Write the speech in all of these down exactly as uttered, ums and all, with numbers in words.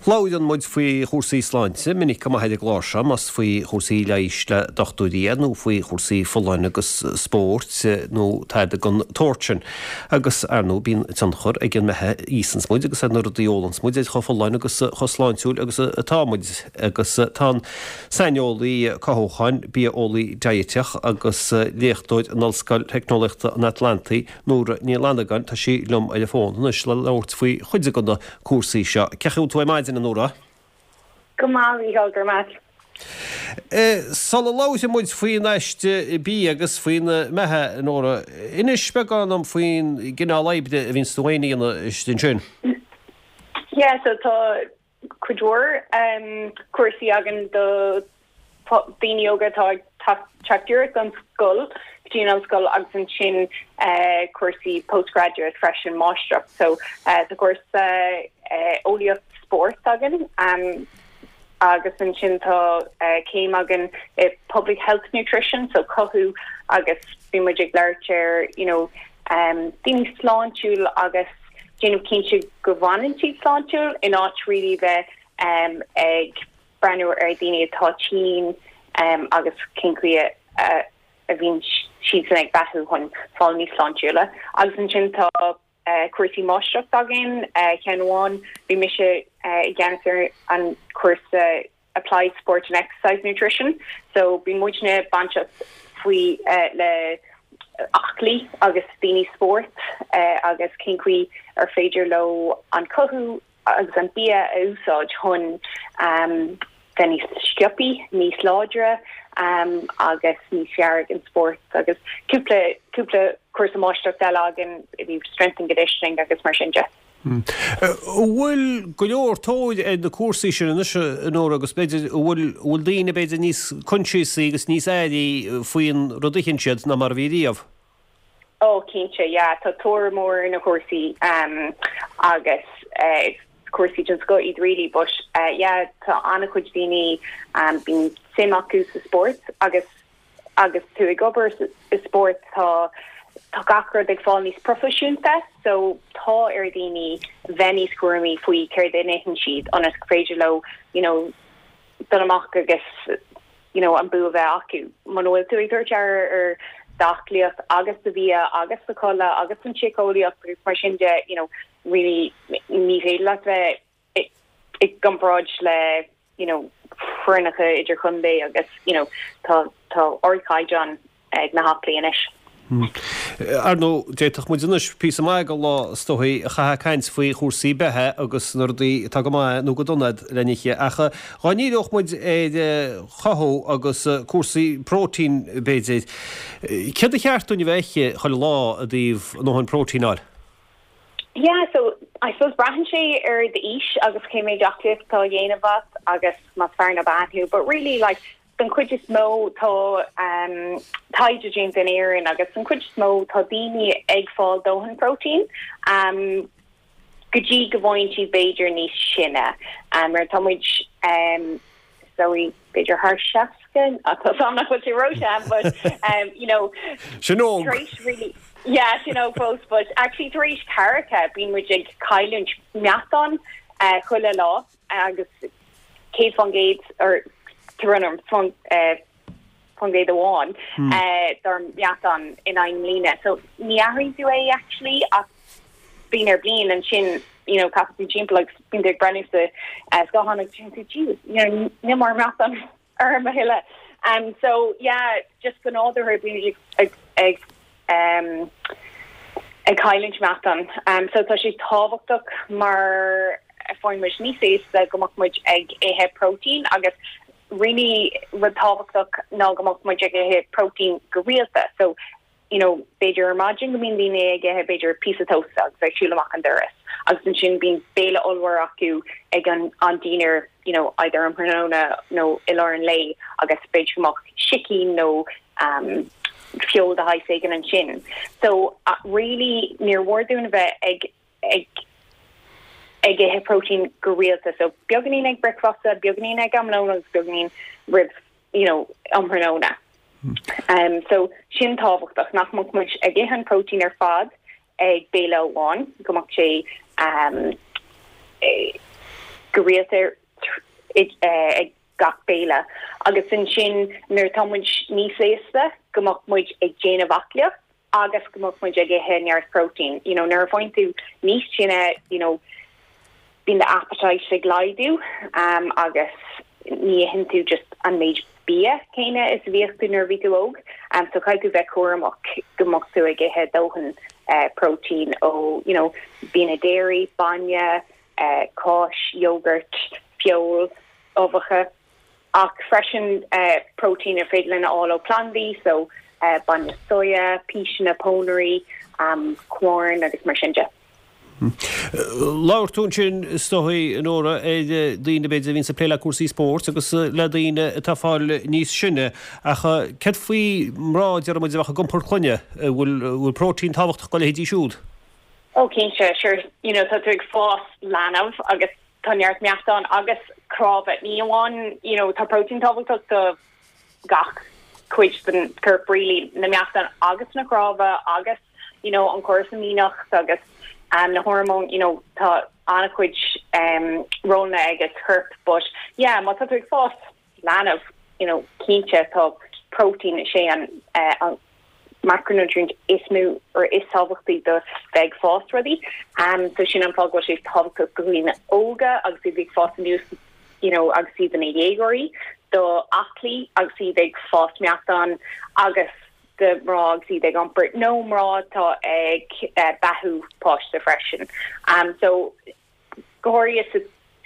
Labhraíonn muid faoi chúrsaí sláinte minic go maith ar an gclár seo, más faoi chúrsaí leighis le dochtúirí é nó faoi chúrsaí folláine agus spóirt nó tada den tsórt sin. Agus, ar ndóigh, bíonn tionchar ag an mbeatha a íosanns muid agus ar na rudaí a ólanns muid ar chomh folláin agus chomh sláintiúil agus atá muid. Agus tá an saineolaí cothúcháin, bia-eolaí diaiteach agus léachtóir in Ollscoil Theicneolaíochta an Atlantaigh, Nóra Ní Fhlannagáin, tá sí liom ar an bhfón anois le labhairt faoi chuid de na cúrsaí seo. Cén chaoi a bhfuil tú ar maidin, a Nóra? Go maith, a Mhícheáil, go raibh maith. Sula labhróidh muid faoin aiste bia agus faoin mbeatha, a Nóra, inis beagán dom faoin gcineál oibre a bhíonns tú féin a dhéanamh istigh ansin. Yeah, so tá cuid mhór cúrsaí againn do daoine óga atá ag teacht díreach ón scoil go dtí an ollscoil agus ansin cúrsaí postgraduate freisin, máistreacht. So tá cúrsa eolaíocht spóirt againn agus ansin tá céim againn i public health nutrition, so cothú agus bíonn muid ag labhairt ar you know daoine sláintiúil agus déanamh cinnte go bhfanann siad sláintiúil in áit really bheith ag breathnú ar daoine atá tinn agus cén chaoi a bhíonn siadsan ag beathú chun fáil níos sláintiúla. Agus ansin tá cúrsaí máistreachta againn, ceann amháin bhí mise i gceannas ar an cúrsa Applied Sport and Exercise Nutrition, so bíonn muidne bainteach faoi le aclaí agus daoine spóirt agus cén chaoi ar féidir leo an cothú agus an bia a úsáid chun bheith níos sciobthaí, níos láidre agus níos fearr ag an spórt agus cúpla cúpla cúrsa máistreachta eile againn i dtaobh strength and conditioning agus mar sin de. An bhfuil go leor tóir ar na cúrsaí sin anois, a Nóra, agus b'fhéidir an bhfuil bhfuil daoine b'fhéidir níos coinsiasaí agus níos airí faoin rud a itheann siad ná mar a bhí riamh? Ó cinnte, yeah, tá tóir mór ar na cúrsaí um, agus uh, cúrsaí den scoth iad really, but uh, yeah, tá an-chuid daoine um, bíonn suim acu sa spórt agus agus tú ag obair i spórt tá tá gach rud ag fáil níos proifisiúnta, so tá ar daoine bheith níos cúramaí faoi céard a itheann siad ionas gur féidir leo you know, dul amach agus you know, an bua bheith acu. Muna bhfuil tú ag tabhairt aire ar d'aclaíocht agus do bhia agus do chodladh agus an tsíceolaíocht agus mar sin de you know, really ní féidir leat bheith i gcomparáid le you know, foirneacha idirchontae agus you know, tá tá ardchaighdeán ag na haclaí anois. Ar ndóigh, d'fhéadfadh muid anois píosa maith de lá is dóigh a chaitheamh ag caint faoi chúrsaí beatha agus na rudaí atá go maith nó go dona le n-ithe ach dhá ndíreodh muid ar chothú agus cúrsaí próitín b'fhéidir, céard ba cheart dúinn a bheith ag ithe chuile lá i dtaobh a ndóthain próitín a fháil? Yeah, so I suppose braitheann sé ar d'aois agus cé méid aclaíocht atá á dhéanamh agat agus más fear nó bean thú, but really like den chuid is mó tá um, taighde déanta in Éirinn agus den chuid is mó tá daoine ag fáil dóthain próitín um, go dtí go bhfaigheann siad b'fhéidir níos sine um, mar tá muid um, so b'fhéidir thar seasca tá nach bhfuil sé ró-shean but um, you know Sin óg. tar éis really yeah you know close but actually tar éis ceathracha bíonn muid ag cailliúint meáchan uh, chuile lá agus céad faoin gcéad or run faoin uh, faoin gcéad amháin uh, dár meáchan in aon mbliana. So ní athraíonn tú é actually ach bliain ar bliain ansin you know caithfidh tú timpeall agus bíonn tú ag breathnú sa uh, scáthán agus sin tú Jesus you know níl mar meáchan orm a thuilleadh. Um, so yeah, just go nádúrtha bíonn ag ag um, ag cailliúint meáchan. Um, so tá sé tábhachtach mar faigheann muid níos aosta go mbeadh muid ag ithe próitín agus really rud tábhachtach ná go mbeadh muid ag ithe próitín go rialta. So you know, b'fhéidir ar maidin go mbíonn daoine ag ithe b'fhéidir píosa toast agus ag siúl amach an doras. Agus ansin bíonn béile ollmhór acu ag an an dinner you know, either um thráthnóna nó i lár an lae agus b'fhéidir go mbeadh sicín nó um, feoil de shaghas éigin ansin. So uh, really níor mhór dúinn a bheith ag ag ag ithe próitín go rialta so beagáinín ag bricfeasta, beagáinín ag am lóin agus beagáinín roimh you know, um thráthnóna. Um, so sin tábhachtach nach mbeadh muid ag ithe an próitín ar fad ag béile amháin go mbeadh sé um, go rialta ag gach béile agus ansin nuair atá muid níos aosta go mbeadh muid ag déanamh aclaíocht agus go mbeadh muid ag ithe neart protein you know nuair a bhíonn tú níos sine you know bíonn the appetite ag laghdú um, agus ní itheann tú just an méid bia céanna is a bhíodh tú nuair a bhí tú óg um, so caithfidh tú bheith cúramach go mbeadh tú ag ithe dóthain uh, protein ó you know bianna dairy bainne uh, cáis yogurt feoil uibheacha ach freisin uh, protein ar féidir linn a fháil ó plandaí so uh, bainne soya píseanna pónairí um, corn agus mar sin de. Labhair tú ansin is dóigh Nóra ar daoine b'fhéidir a bhíonn ag plé le cúrsaí spóirt agus le daoine atá ag fáil níos sine ach céard faoi mná deir muid a bheadh ag iompar clainne bhfuil bhfuil protein tábhachtach dá leithéidí siúd. Ó cinnte sure you know tá tú ag fás leanbh agus tá neart meatán agus cnámha ní amháin you know tá protein tábhachtach do gach cuid den corp really na meatán agus na cnámha agus you know an córas imdhíonach agus um, na hormón you know tá an-chuid um, rólanna ag an chorp but yeah má tá tú ag fás leanbh you know cinnte tá protein sé an uh, an macronutrient is mó or is tábhachtaí do bheith ag fás rudaí um, so sin an fáth go sé tábhachtach do dhaoine óga agus iad ag fás aníos you know agus iad ina dhéagóirí do aclaí agus iad ag fás meatán agus do mná agus iad ag iompar nó mná atá ag uh, beathú páiste freisin um, so go háirithe sa,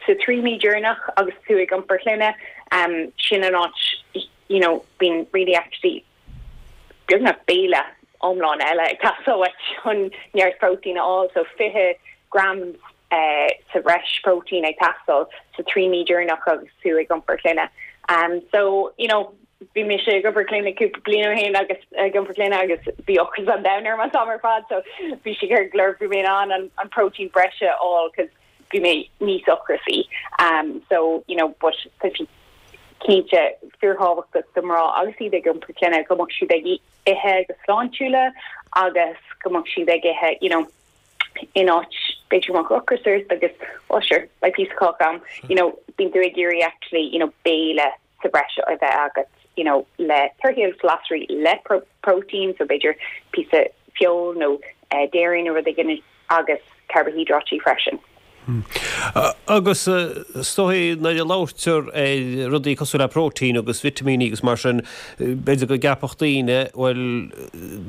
sa trí mí deireanach agus tú ag iompar clainne um, sin an áit you know been really actually beagnach béile iomlán eile ag teastáil chun neart protein a fháil so fiche grams uh, sa bhreis protein ag teastáil sa trí mí deireanach agus tú ag iompar clainne. Um, so you know bhí mé sé ag iompar clainne cúpla bliain ó shin agus ag iompar clainne agus bhí ocras an domhain orm an t-am ar fad so bhí sé ar glur bhí mé an an, an protein breise a fháil cos bhí mé níos ocrasaí. Um, so you know but tá sé cinnte fíorthábhachtach do mná agus iad ag iompar clainne go mbeadh siad ag ithe go sláintiúil agus go mbeadh siad ag ithe you know in áit b'fhéidir mbeadh ocras ort agus oh sure like piece of cock am you know bíonn tú ag iarraidh actually you know béile sa bhreis a bheith agat you know le torthaí agus glasraí le pro protein so b'fhéidir píosa feoil nó uh, dairy nó rud éigin agus carbohydrate freisin. Hmm. Agus is dóigh nuair a labhraítear ar rudaí cosúil le protein agus vitimíní agus mar sin b'fhéidir go gceapfadh daoine bhuel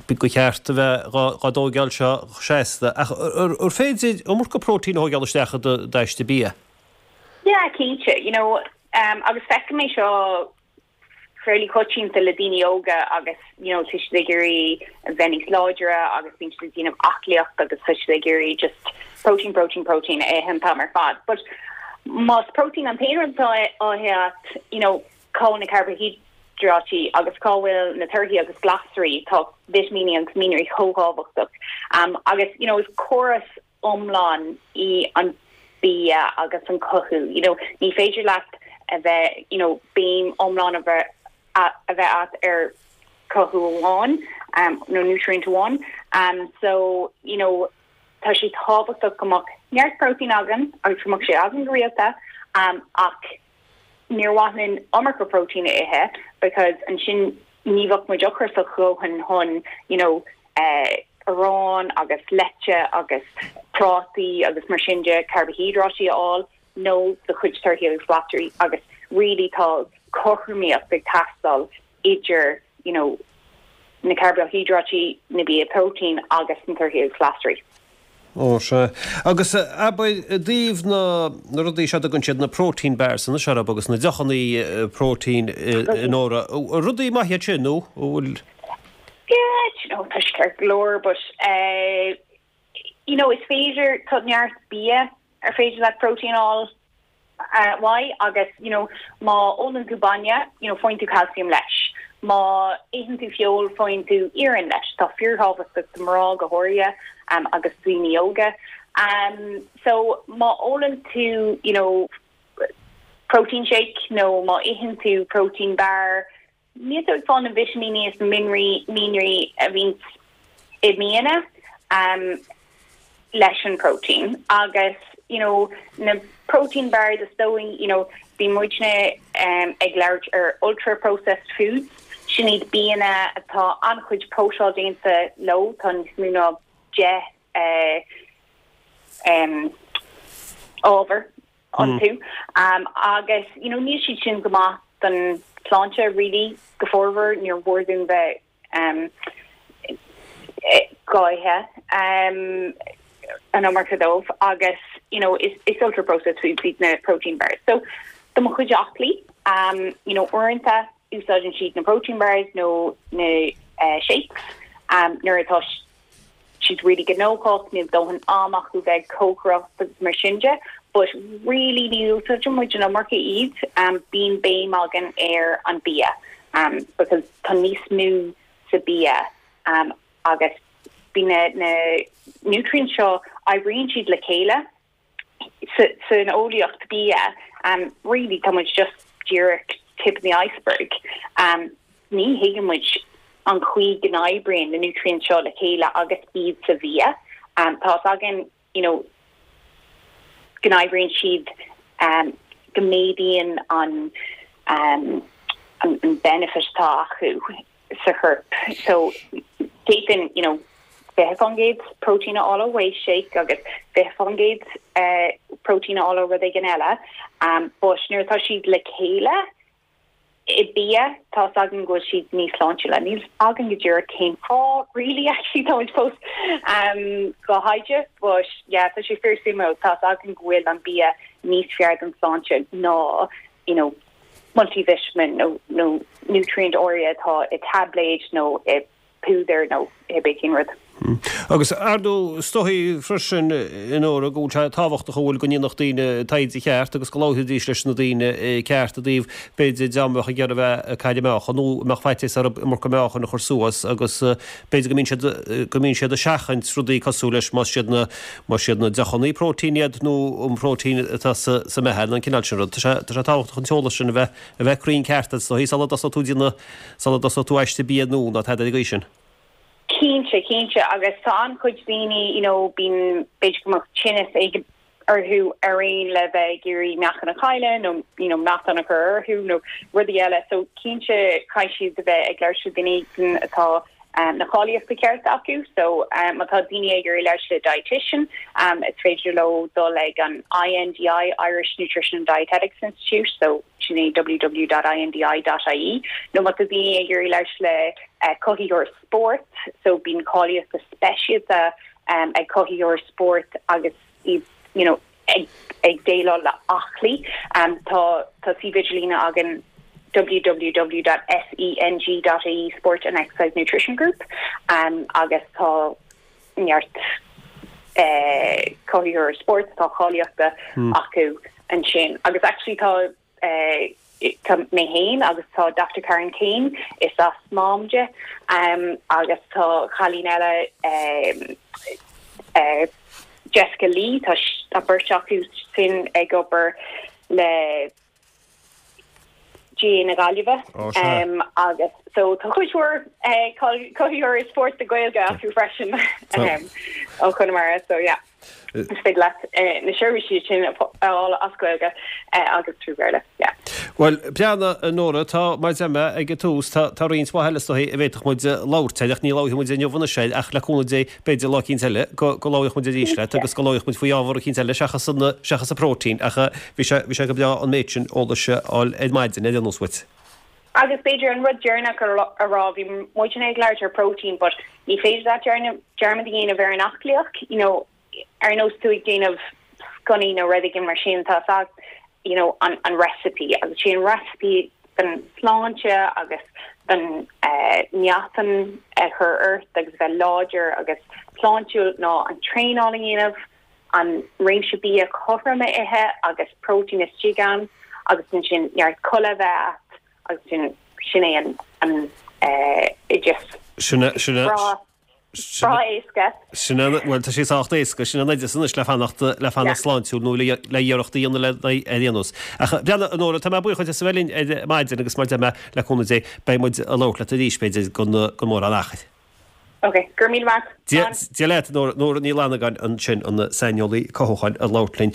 gur cheart a bheith á dtógáil seo seasta ach ar féidir iomarca protein a thógáil isteach i d'aiste bia? Yeah, cinnte, you know, um, agus feicim é seo fairly coitianta le daoine óga agus you know tá siad ag iarraidh a bheith níos láidre agus bíonn siad ag déanamh aclaíocht agus tá siad ag iarraidh just protein protein protein a ithe an t-am ar fad but más protein an t-aon rud atá á ithe you know cá bhfuil na carbohydrate agus cá bhfuil na torthaí agus glasraí tá vitimíní agus mianraí chomh tábhachtach um, agus you know is córas iomlán í an bia agus an cothú you know ní féidir leat a bheith you know béim iomlán a bheith a bheith agat ar cothú amháin um, nó nutrient amháin um, so you know tá sé tábhachtach go mbeadh neart protein againn agus go mbeadh sé againn go rialta um, ach níor mhaith linn iomarca protein a ithe because ansin ní bheadh muid ocrasach a dhóthain chun you know uh, arán agus leite agus prátaí agus mar sin de carbohydrate a fháil nó do chuid torthaí agus glasraí agus really tá cothromaíocht ag teastáil idir you know na carbohydrate na bia protein agus na torthaí agus glasraí. Ó sé agus abair i dtaobh na na rudaí seo go siad na protein bars na searab agus na deochanna protein in óra rudaí maithe sin nó bhfuil Yeah, you know, tá sé go leor, but uh, you know, is féidir tá neart bia ar féidir le protein a fháil uh, why agus you know má ólann tú bainne you know faigheann tú calcium leis má itheann tú feoil faigheann tú iarann leis tá fíorthábhachtach do mná go háirithe um, agus daoine óga um, so má ólann tú you know protein shake nó má itheann tú protein bar níl tú ag fáil na vitimíní is mianraí mianraí a bhíonn i mbianna um, leis an protein agus you know na protein bars is dóigh you know bíonn muidne um, ag labhairt ar ultra processed foods sin iad bianna atá an-chuid próiseáil déanta leo tá níos mó ná deich uh, um, ábhar iontu mm. um, agus you know níl siad sin go maith don tsláinte really go formhór níor mhór dúinn bheith um, ag ithe um, an iomarca dóibh agus you know is, is ultra processed foods iad na protein bars so do mo chuid aclaí um, you know uaireanta úsáideann siad na protein bars nó na uh, shakes um, nuair atá siad really gnóthach níl dóthain ama acu bheith cócaireacht agus mar sin de but really ní úsáideann muid an iomarca iad um, bíonn béim againn ar an bia um, because tá níos mó sa bia um, agus bíonn na, na nutrients seo oibríonn siad le chéile san eolaíocht bia um, really tá muid just díreach tip of the iceberg um, ní thuigeann muid an chaoi go n-oibríonn na nutrients seo le chéile agus iad sa bhia um, tá againn you know go n-oibríonn siad um, go méadaíonn an um, an, an benefit atá acu sa chorp so d'fhéadfainn you know fiche faoin gcéad protein a fháil ó whey shake agus fiche faoin gcéad uh, protein a fháil ó rud éigin eile um, but nuair atá siad le chéile i bia tá againn go bhfuil siad níos sláintiúla níl againn go díreach cén fáth really actually tá fós um, go haide but yeah tá sé fíorsuimiúil tá againn go bhfuil an bia níos fearr don tsláinte ná you know multivitamin nó nó nutrient áirithe atá i tabléid nó i púdar nó i baking rud. Hmm. Agus ar ndóigh is dóigh freisin a Nóra go bhfuil sé tábhachtach go bhfuil go ndéanfadh daoine taighde ceart agus go labhróidís leis na daoine ceart i dtaobh b'fhéidir dá mbeadh ag iarraidh bheith ag cailleadh meáchan nó mbeadh faitíos orthu iomarca meáchan a chur suas agus b'fhéidir go mbíonn siad go mbíonn siad ag seachaint rudaí cosúil leis más siad na más siad na deochanna próitéin iad nó an próitéin atá sa sa mbeatha an cineál sin rud. Tá sé tá sé tábhachtach an t-eolas sin a bheith a bheith cruinn ceart is dóigh sula dtosóidh tú déanamh sula dtosóidh tú aiste bia nó ná tada ag sin. Cinnte cinnte agus tá an-chuid daoine you know bíonn b'fhéidir go mbeadh tinneas ag orthu ar aon le bheith ag iarraidh meáchan a chailleadh nó you know meáchan a chur orthu nó rudaí eile so cinnte caithfidh siad a bheith ag labhairt le daoine atá um, na cáilíochtaí ceart acu so um, má tá daoine ag iarraidh labhairt le dietitian um, is féidir leo dul ag an INDI Irish Nutrition and Dietetics Institute so sin é www.indi.ie nó má tá daoine ag iarraidh labhairt le uh, cothaítheoir spóirt so bíonn cáilíochtaí speisialta um, ag cothaítheoir spóirt agus iad you know ag ag déileáil le aclaí um, tá tá suíomh idirlín againn www.seng.ie Sport and Exercise Nutrition Group um, agus tá neart uh, cothaítheoir spóirt tá cáilíochtaí hmm. acu ansin agus actually tá uh, tá mé féin agus tá Dr. Karen Kane is as Mám di um, agus tá cailín eile um, uh, Jessica Lee tá tá beirt acu sin ag obair le G na Gaillimhe um, agus so tá chuid cothaítheoir spóirt de Gaeilge acu freisin um, ó Chonamara so yeah. Is féidir leat eh, na seirbhísí sin fháil as Gaeilge eh, agus trí Bhéarla. Yeah. Well breathnaigh Nóra tá mar a dúirt mé ag an tús tá tá roinnt mhaith eile is dóigh a bhféadfadh muid labhairt ach ní labhróidh muid inniu anois ach le cúnamh Dé b'fhéidir lá eicínt eile go go labhróidh muid arís leat agus go labhróidh muid faoi ábhar eicínt eile seachas an seachas an próitéin ach bhí sé bhí sé go breá an méid sin eolais a fháil ar maidin ar aon nós uait. Agus b'fhéidir an rud deireanach a rá bhí muid ag labhairt ar protein, but ní féidir leat dearmad a dhéanamh ar an aclaíocht, you know, ar nós tú ag déanamh sconnaí nó rud éigin mar sin tá ag you know an an recipe agus sin recipe den sláinte agus den uh, meáchan a chur ort agus bheith láidir agus sláintiúil ná an traenáil a dhéanamh an réimse bia cothrom a ithe agus protein istigh ann agus sin neart codladh bheith agus sin sin é an an uh, just Sin sin Breá éasca. Sin bhuel tá sé sách éasca sin an oideas anois le fanacht le fanacht sláintiúil nó le le iarracht a dhéanamh le ar aon nós. Ach breathnaigh a Nóra tá mé buíoch as a bheith linn ar maidin agus mar a dúirt mé le cúnamh Dé beidh muid ag labhairt leat arís b'fhéidir go go mór an achar. Ok, gur mí Dia leat Nóra Ní Fhlannagáin ansin an saineolaí cothúcháin ag labhairt linn.